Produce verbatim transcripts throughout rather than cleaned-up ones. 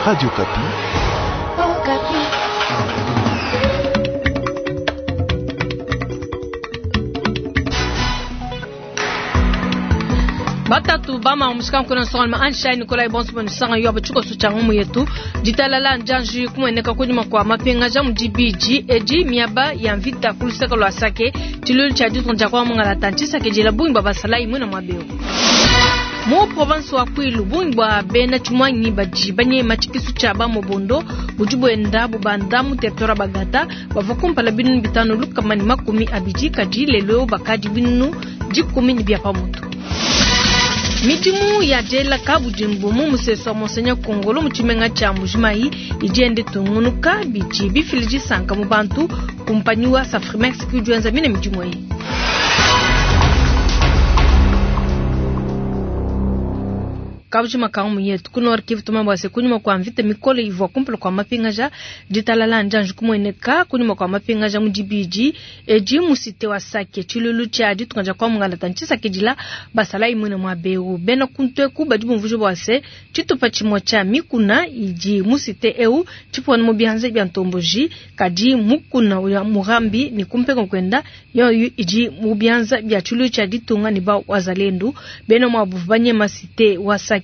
Radio Okapi. Batatu bama omushika nkuna nsonga ansha Nikolai bonso bonisanga yo abatshiko tshia ngumu yetu ditalala njanji kumueneka kunyima kwa mapingaja mu dibidi edi miaba ya mvita kuluseka lwa Sake tshilulu tshia ditunga kwa mungala tantshisake jela bungi bwa basalayi mwina mwabeo mu province wa Kwilu bungi bwa bena tshimwanyi badi banyema tshikisu tshia ba mobondo budi bwenda bubanda mu territoire Bagata bavua kumpala binunu bitanu lukama ne makumi abidi kadi lelo bakadi binunu dikumi ne bia pamutu. Midimu ya jela kabudimbu mu musesu wa Monseigneur Kongolo mu tshimenga tshia Mbujimayi idi yenda itungunuka bidi bifila disanka mu bantu kumpanyi wa Safrimex ke udi wenza mine midimu eyi. Kabujima kangu yetu ku Nord Kivu tumambo ase kunyuma kwa mvita mikole ivua kumpala kwa mapingaja ditalala njanji kumueneka kunyuma kwa mapingaja mu dibidi edi mu cité wa Sake tshilulu tshia ditunga kwa mungala tantshisake dila basalayi mwene mwa beu bena kuntweku badi bumvuja bwa se tshitupa tshimue tshia mikuna idi mu cité eu tshipona mu bianza bia ntomboji kadi mukuna ya Murambi ni kumpenga kwenda yoyo idi mu bianza bia tshilulu tshia ditunga ne ba wazalendu bena mwa buvanye cité wa Sake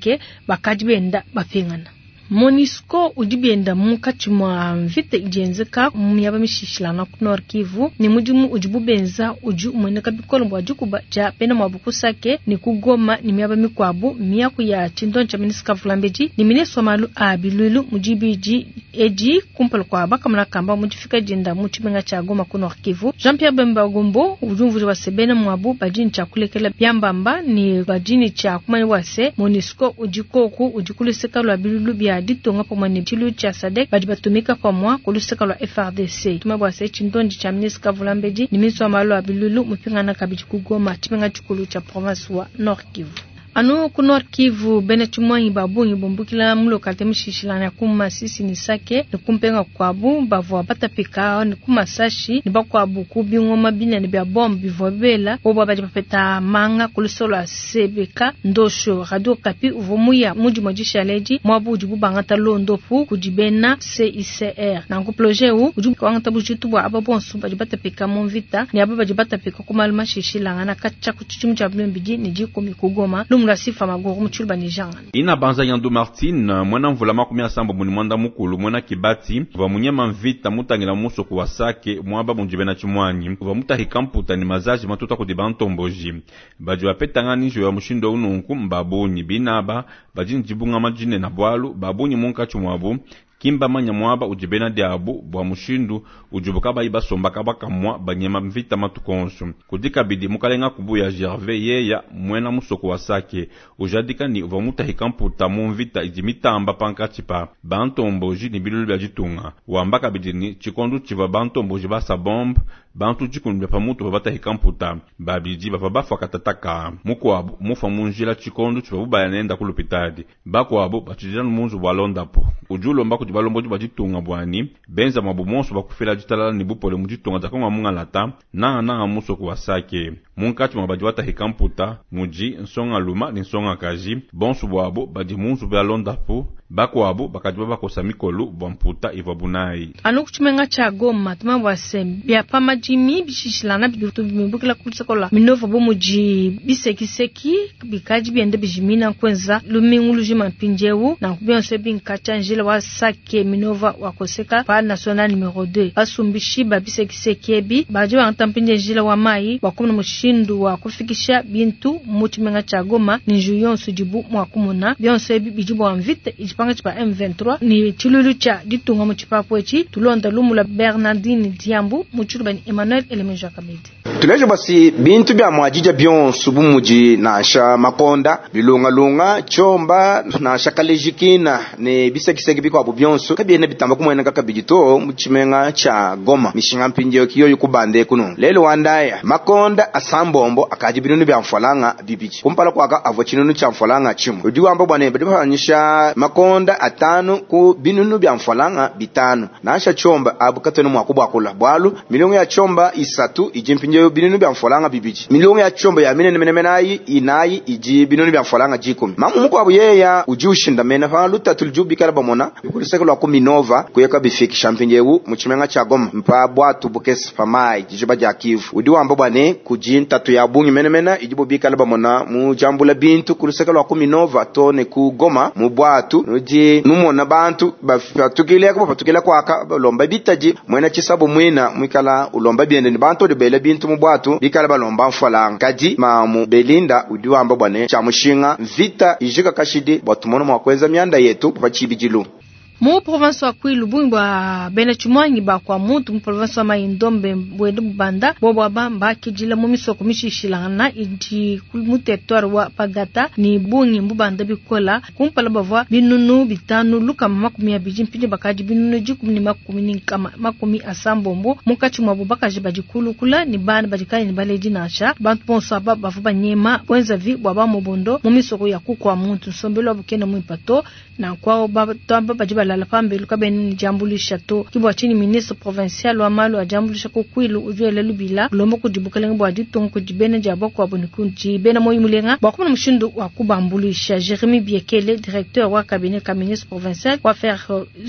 bakadi benda bapingana. MONUSCO udi benda munkatshi mwa mvita idi yenzeka mu miaba mishishilangana ku Nord Kivu ne mudimu udibu benza udi umueneka bikole bua dikuba dia bena muabu ku Sake ne ku Goma ne miaba mikuabu. Miaku ya tshindonyi tshia ministre Kavulambedi ne ministre wa malu a biluilu mu dibidi edi kumpala kua bakamona kamba mu difika dienda mu tshimenga tshia Goma ku Nord Kivu. Jean-Pierre Bemba Gombo udi umvuija bua se bena muabu badi ne tshia kulekela biambamba ne badi ne tshia kumanya bua se MONUSCO udi koku udi ku luseka lua biluilu bia ditunga pamue ne tshilu tshia SADC badi batumika pamue ku luseka lua F R D C. Tuma bua se tshindondi tshia ministre Kavulambedi ne ministre wa malu a biluilu mupingana kabidi ku Goma tshimenga tshikulu tshia province wa Nord Kivu. Anu ku Nord Kivu bena tshimwanyi ba bungi bumbukila mu localité mishishilana ku Masisi ne Sake ne kumpenga kwabu bavua batapika ne ku Masashi ne bakwabu ku bingoma binene bia bombe bivua bela bobo badi bapeta manga ku lusolo lwa Sebeka Ndosho. Radio Okapi uvua muya mudi dishaledi mwabu udi bubangata londopu kudi bena C I C R. Nanku projet u udi wangata bujitu bua aba bonso badi batapika mu mvita ne aba badi batapika ku malu mashishilangana katshia ku tshidimu tshia bibidi ne dikumi ku Goma. Sifa magoro mutshulu banijanga. Ina banza Yandu Martin mwana mvula makumi asambo muni mwanda mukulu mwana kibati va munyema mvita mutangila musoko wa Sake mwaba munjibena chimwanyi va mutahika mputa ni mazaji matuta kudi bantomboji badi bapetanga ninjo ya mushindo ununku mbabunyi binaba badi njibunga majine na bwalu babunyi munkachi mwabu kimba manya mwaba ujibena diabu bwa mushindu ujubuka bayi basomba kabakamwa banyema mvita matukonso kudika bidi mukalenga kubuya Gervais yeya mwena musoko wa Sake ujadika ni uva mutahika mputa mu mvita idi mitamba pankatshi pa bantomboji ni bilulu bya ditunga wamba kabidi ni tshikondu tshiva bantomboji basa bombe bantu dikumi bya pamutu babatahika mputa babidi bava bafwa katataka mukuabu mufa munjila tshikondu tshiva bubaya nenda ku lupitadi bakuabu batshidila munzu bwa londapo udi ulomba kudi balombodi ba ditunga bwani benza mwabu monso bakufila ditalala ne bupole mu ditunga dia Kongo mungalata nanga nanga musoko wa Sake munkatshi mwa badi batahika mputa mudi nsonga luma ne nsonga kaji bonso bwabo badi munzu bya londapo bakuabu bakadi babakosa mikolu bwa mputa ivua bunayi. Anu ku tshimenga tshia Goma tuma bua se bia pa madimi bishishilana bitu bimubukila ku luseke lua Minova bo mudi bisekiseki bikadi bienda bijimina kwenza lumingu lujima mpindiewu nanku bionso ebi nkatshia njila wa Sake Minova wa koseka pa national numero deux basumbishi ba bisekiseki ebi badi bangata mpindie njila wa mayi bua kumona mushindu wa kufikisha bintu mu tshimenga tshia Goma ni nju yonso dibu mua kumona bionso ebi bidi bua mvita idi panga tshipa M vingt-trois ni tshilulu tshia ditunga mu tshipapu etshi tulonda lumu lua Bernardine Diambu mu tshiluba ni Emmanuel Elemeja Kabedi. Tulejo basi bintu bya mwajija byonso bumudi nansha makonda bilungalunga chomba nansha kalejikina ne bisekiseki bikwabu byonso kabyene bitamba kumweneka kabidi to mu tshimenga tsha Goma mishinga mpindiyo kiyoyo kubande kuno lelo wandaya makonda asambombo akaji binunu bya mfalanga bibiji kumpala kwaka avwa tshinunu tsha mfalanga chimwe udi wamba bwane badi bafanyisha makonda atanu ku binunu bya mfalanga bitanu nansha chomba abu kateno mwakubwakula bwalu milongo ya chomba isatu iji mpindiyo binunu bia mfranga bibidi. Milongo ya tshiomba ya minene menemene ayi inayi idi binunu bia mfranga dikumi. Mamu mukuabu yeya udi ushindamena pa lutatu ludi bikala bamona ku luseke lua ku Minova kuyeka bifikisha mpindiewu mu tshimenga tshia Goma mpa bwatu bukese pa mayi dijiba dia Kivu. Udi wamba bua ne kudi ntatu ya bungi menemene idibo bikala bamona mu diambula bintu ku luseke lua ku Minova to ne ku Goma mu bwatu nudi numona bantu bapatukile bapatukile kwaka balomba bitadi mwena tshisabu mwina mwikala ulomba biende ni bantu odi bela bintu mu bwatu bikala balomba mfalanga. Kadi mamu Belinda udi wamba bua ne tshia mushinga mvita ijika kashidi bua tumone mua kuenza mianda yetu pa tshibidilu. Mu province wa Kwilu bungi bwa bena tshimuangi ba kwa muntu mu province wa Mai-Ndombe bwende bubanda bobo aba mbakidila mu misoko mishishilangana idi mu territoire wa Bagata ni bungi mbubanda bikola kumpala bavua binunu bitanu lukama makumi abidi mpindi bakadi binunu dikumi ne makumi ne nkama makumi asambombo munkatshi muabu bakaji badi kulukula ni bana badi kayi ne baledi nansha bantu bonso aba bavua banyema bwenzavi bwa bamobondo mu misoko ya kukwa muntu nsombelu wabu kena muimpe to nanku bantu aba badi balala pambelu kabena ne diambuluisha to. Ke bua tshinyi ministre provincial wa malu a diambuluisha ku Kwilu udi wela lubila ulomba kudi bukalenge bua ditunga kudi bena dia bakuabu ne kudi bena moyo mulenga bua kumona mushindu wa kubambuluisha. Jeremy Biekele, directeur wa cabinet ka ministre provincial wa affaires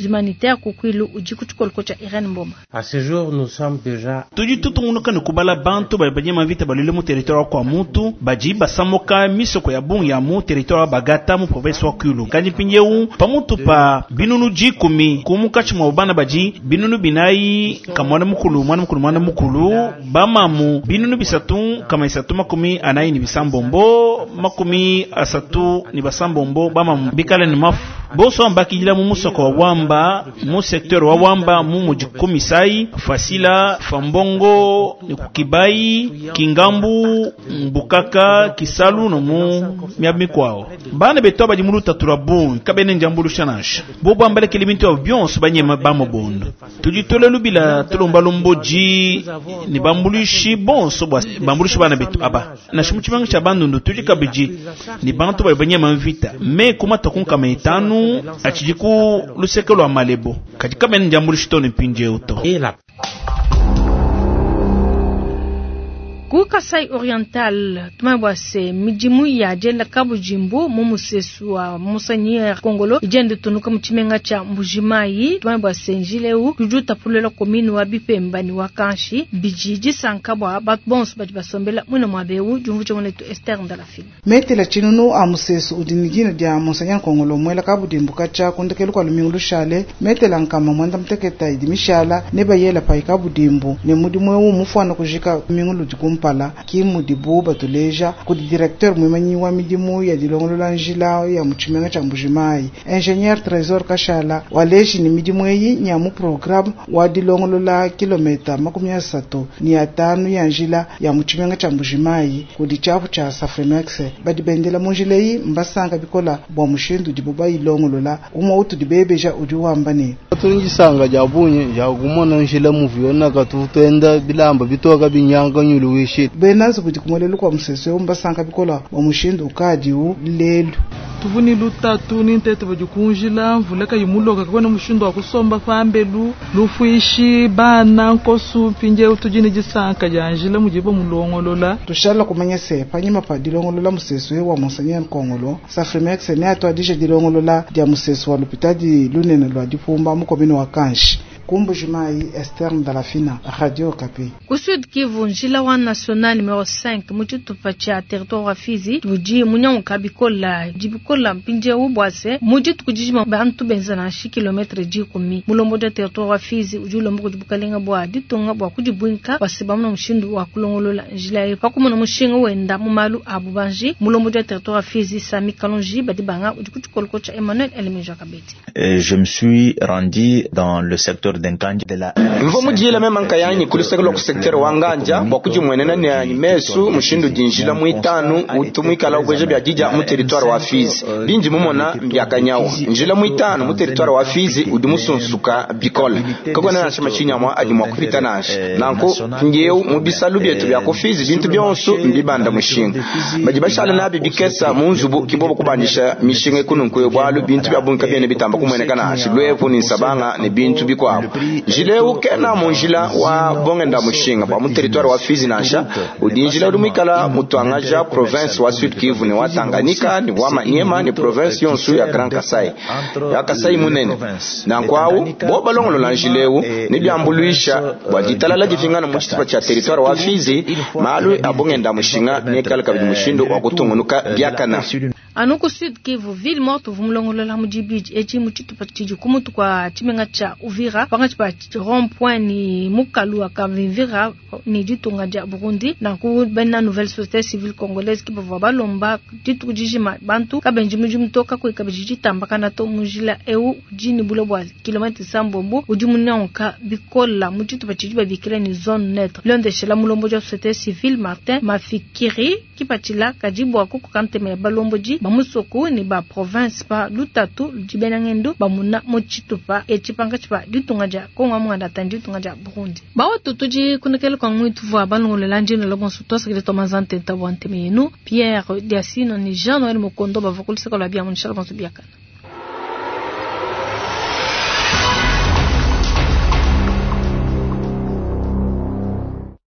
humanitaires ku Kwilu udi ku tshikoloko tshia Irene Mboma. À ce jour, nous sommes déjà tudi tutungunuka ne kubala bantu badi banyema mvita balwile mu territoire wa kwa muntu badi basamuka misoko ya bungi ya mu territoire wa Bagata mu province wa Kwilu. Kandi mpindiewu pamutu pa binunu dikumi ku munkatshi mua bana badi binunu binayi ka mwana mukulu mwana mukulu mwana mukulu bamamu binunu bisatu kama isatu makumi anayi ni bisambombo makumi asatu ni basambombo bamamu bikala ni mafu bonso ambakidila mu musoko wa Wamba mu secteur wa Wamba mu muji Komisai Fasila Fambongo ni Kukibai Kingambu Mbukaka Kisalu no mu miaba mikwao bana betu badi mu lutatu lwa bungi kabene njambulusha nansha bobo ambalekele bintu abo byonso banyema bamobondo tudi tole lubila tulomba lomboji ni bambuluishi bonso bwa bambuluishi bana betu aba nansha mu tshimanga tshia bandundu tudi kabidi ni bantu bali banyema mvita me kumata kunkama itanu atshidi ku luseke lwa malebo kadi kabene njambuluishi to ne mpindiewu to. Ku Kasai Oriental tumanye se midimu ya dienda kabujimbu mu musesu wa Monseigneur Kongolo idienda tunuka mu tshimenga tshia Mbujimayi. Tumanye se njila eu udi utapulela commune wa Bipemba ni wa Kanshi bidi disanka bua bantu bonso badi basombela muina muaba eu. Diumvuija muanetu Esther Ndalafina. Metela tshinunu a musesu udi ne dina dia Monseigneur Kongolo muela kabudimbu katshia kundekelu kua lumingu lushale metela nkama muanda muteketa idi mishala ne bayela pai kabudimbu ne mudimu eu mufuana kujika lumingu ludi kumpala ki mudibu batuleja kudi directeur mwimanyi wa midimu ya dilongolola njila ya mu tshimenga tshia Mbujimayi ingénieur Trésor Kashala waleji ni midimu eyi nya mu programme wa dilongolola kilometa makumi asatu ni atanu ya njila ya mu tshimenga tshia Mbujimayi kudi tshiapu tshia Safrimex badi bendela mu njila eyi mbasanga bikola bua mushindu udibu bayilongolola umwe utudi bebeja udi wamba ne tulingisanga dia bungi dia kumona njila muvu katu tuenda bilamba bitoka binyanga nyulu wishi benazi kudi kumolelu kwa musesu eu mbasanga bikola bua mushindu ukadiwu lelu tuvuni lutatu ni ntete badi kunjila mvula kayimuloka kakona mushindu wa kusomba pambelu lufuishi bana nkosu mpindiewu tudi ne disanka dia njila mudibo mulongolola tushala kumanya se panyima pa dilongolola musesu eu wa Monseigneur Kongolo Safrimex ne atuadije dilongolola dia musesu wa lupitadi lunene lua dipumba mu commune wa Kanshi. Ku Mbujimayi, Esther Ndalafina, Radio Okapi. Ku Sud Kivu, njila wa national numero cinq mu tshitupa tshia territoire wa Fizi udi munyanguka bikola dibikola mpindiewu bua se mu dituku dijima bantu benza nansha kilometre dikumi. Mulombodi wa territoire wa Fizi udi ulomba kudi bukalenga bua ditunga bua kudibuinka bua se bamona mushindu wa kulongolola njila eyi pa kumona mushinga wenda mu malu a bubanji. Mulombodi wa territoire wa Fizi Sami Kalonji badi banga udi ku tshikoloko tshia Emmanuel Elemeja Kabedi. Je me suis rendu dans le secteur mvo mudiyela mema nkayanyi kuluseke lwa kusektere wa nganja bua kudimwenena ne mesu mushindu dinjila muitanu utu muikala ubweja bia dija mu territoire wa Fizi bindi mumona mbiakanyawa njila muitanu mu territoire wa Fizi udi musunsuka bikole kakona nansha mashinyamwa adi mua kupita nansha nanku mpindiewu mu bisalu bietu bia ku Fizi bintu bionso mbibanda mushinga badi bashala nabi bikesa mu nzubu kibobo kubandisha mishinga ikununkuyo bwalu bintu bia bungi kabiene bitamba kumueneka nansha lwevu ni nsabanga ne bintu bikuabu. Njila eu kena mu njila wa bongenda mushinga bwa mu territoire wa Fizi nansha, udi njila udi muikala mutuangaja province wa Sud Kivu ne wa Tanganyika ne wa Maniema ne province yonso ya Grand Kasai ya Kasai munene. Nanku bo balongolola njila eu ne biambuluisha bua ditalala dipingana mu tshitupa tshia territoire wa Fizi, malu a bongenda mushinga nekala kabidi mushindu wa kutungunuka biakana. Anu ku Sud Kivu, ville morte vumulongolola mu dibidi eci mu tshitupa tshidi kumutu kwa tshimenga tshia Uvira pangatshi pa rond point ni mukalu wa Kavimvira ni ditunga dia Burundi. Nanku bena nouvelle société civile congolaise ki bavua balomba dituku dijima bantu kabenji mudimu to kakuyi kabidi ditambakana to mu njila eu udi ne bule bua kilomètre sambombo udi munyanguka bikola mu tshitupa tshidi babikila ni zone neutre. Bilondeshela mulombodi wa société civile Martin Mafikiri kipatshila kadi bua kukoka ntema ya balombodi ba musoko ni ba province pa lutatu ludi bena ngendo bamuna mu tshitupa etshi pankatshi pa ditunga dia Kongo muanda tandi ditunga dia Burundi. Bawa tutudi kunekele kwa ngwitu vua balongolela njino lo bonso tosa kile tomanza ntenta bua nteme yenu Pierre Diasino ni Jean Noël Mukondo bavua kuluseka lua bia munishala bonso biakana.